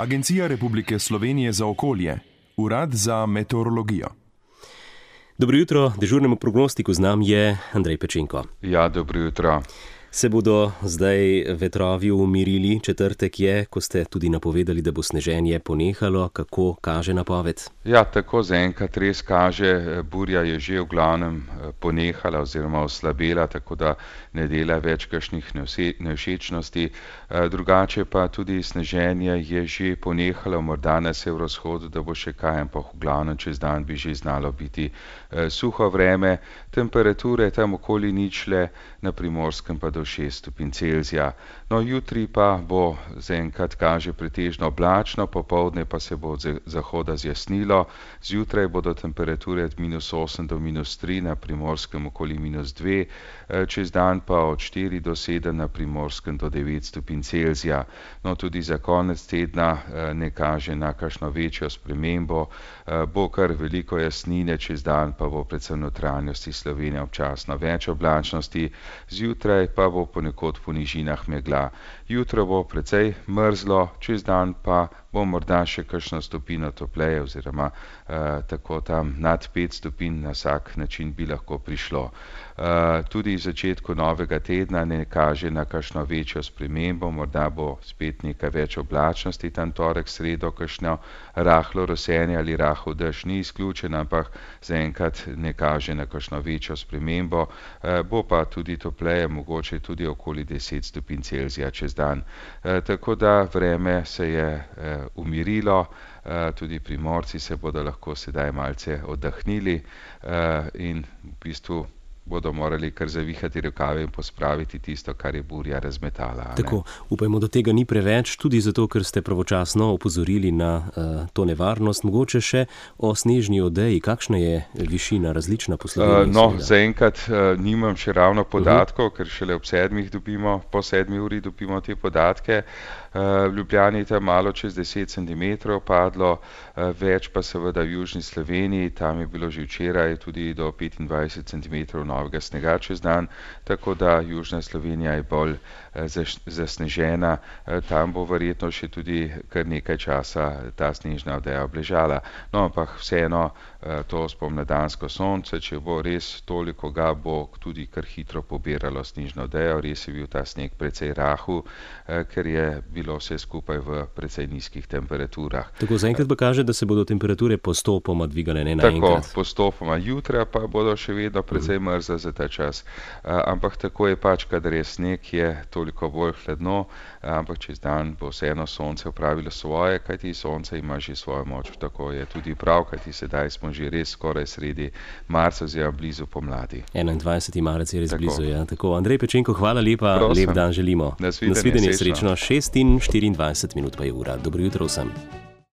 Agencija Republike Slovenije za okolje, Urad za meteorologijo. Dobro jutro, dežurnemu prognostiku z nami je Andrej Pečenko. Ja, dobro jutro. Se bodo zdaj vetrovi umirili? Četrtek je, ko ste tudi napovedali, da bo sneženje ponehalo. Kako kaže napoved? Ja, tako zaenkrat res kaže. Burja je že v glavnem ponehala oziroma oslabela, tako da ne dela več kakšnih nevšečnosti. Drugače pa tudi sneženje je že ponehalo, morda na severovzhodu, da bo še kaj, ampak v glavnem čez dan bi že znalo biti suho vreme. Temperature tam okoli ničle, na Primorskem pa do 6 stopinj Celzija. No, jutri pa bo zaenkrat kaže pretežno oblačno, popoldne pa se bo od zahoda zjasnilo. Zjutraj bodo temperature od -8 do -3, na Primorskem okoli -2, čez dan pa od 4 do 7, na Primorskem do 9 stopinj Celzija. No, tudi za konec tedna ne kaže na kakšno večjo spremembo. Bo kar veliko jasnine, čez dan pa bo predvsem v notranjosti Slovenije občasno več oblačnosti. Zjutraj pa bo ponekod po nižinah megla. Jutro bo precej mrzlo, čez dan pa bo morda še kakšno stopinjo topleje oziroma tako tam nad 5 stopinj na vsak način bi lahko prišlo. Tudi v začetku novega tedna ne kaže na kakšno večjo spremembo, morda bo spet nekaj več oblačnosti, tam torek, sredo, kakšno rahlo rosenje ali rahel dež ni izključen, ampak zaenkrat ne kaže na kakšno večjo spremembo. Bo pa tudi topleje, mogoče tudi okoli 10 stopinj Celzija čez dan. Tako da vreme se je umirilo, tudi Primorci se bodo lahko sedaj malce oddahnili in v bistvu bodo morali kar zavihati rokave in pospraviti tisto, kar je burja razmetala. Tako, upajmo, da tega ni preveč, tudi zato, ker ste pravočasno opozorili na to nevarnost. Mogoče še o snežni odeji, kakšna je višina različna po Sloveniji? No, zaenkrat nimam še ravno podatkov, ker šele ob 7 dobimo, po 7 uri dobimo te podatke. V Ljubljani je tam malo čez 10 cm padlo, več pa seveda v južni Sloveniji, tam je bilo že včeraj tudi do 25 cm novega snega čez dan, tako da južna Slovenija je bolj zasnežena. Tam bo verjetno še tudi kar nekaj časa ta snežna odeja obležala. No, ampak vseeno to spomladansko sonce, če bo res toliko ga, bo tudi kar hitro pobiralo snežno odejo. Res je bil ta sneg precej rahel, ker je bilo vse skupaj v precej nizkih temperaturah. Tako zaenkrat pa kaže, da se bodo temperature postopoma dvigale, ne naenkrat. Tako, postopoma. Jutra pa bodo še vedno precej mrzle za ta čas. Ampak tako je pač, kadar je sneg, je toliko bolj hladno, ampak čez dan bo vseeno sonce opravilo svoje, kajti sonce ima že svojo moč. Tako je tudi prav, kajti sedaj smo že res skoraj sredi marca, oziroma blizu pomladi. 21. marec je res blizu, ja. Tako, Andrej Pečenko, hvala lepa, Prosim. Lep dan želimo. Nasvidenje, srečno. 6:24 pa je ura. Dobro jutro vsem.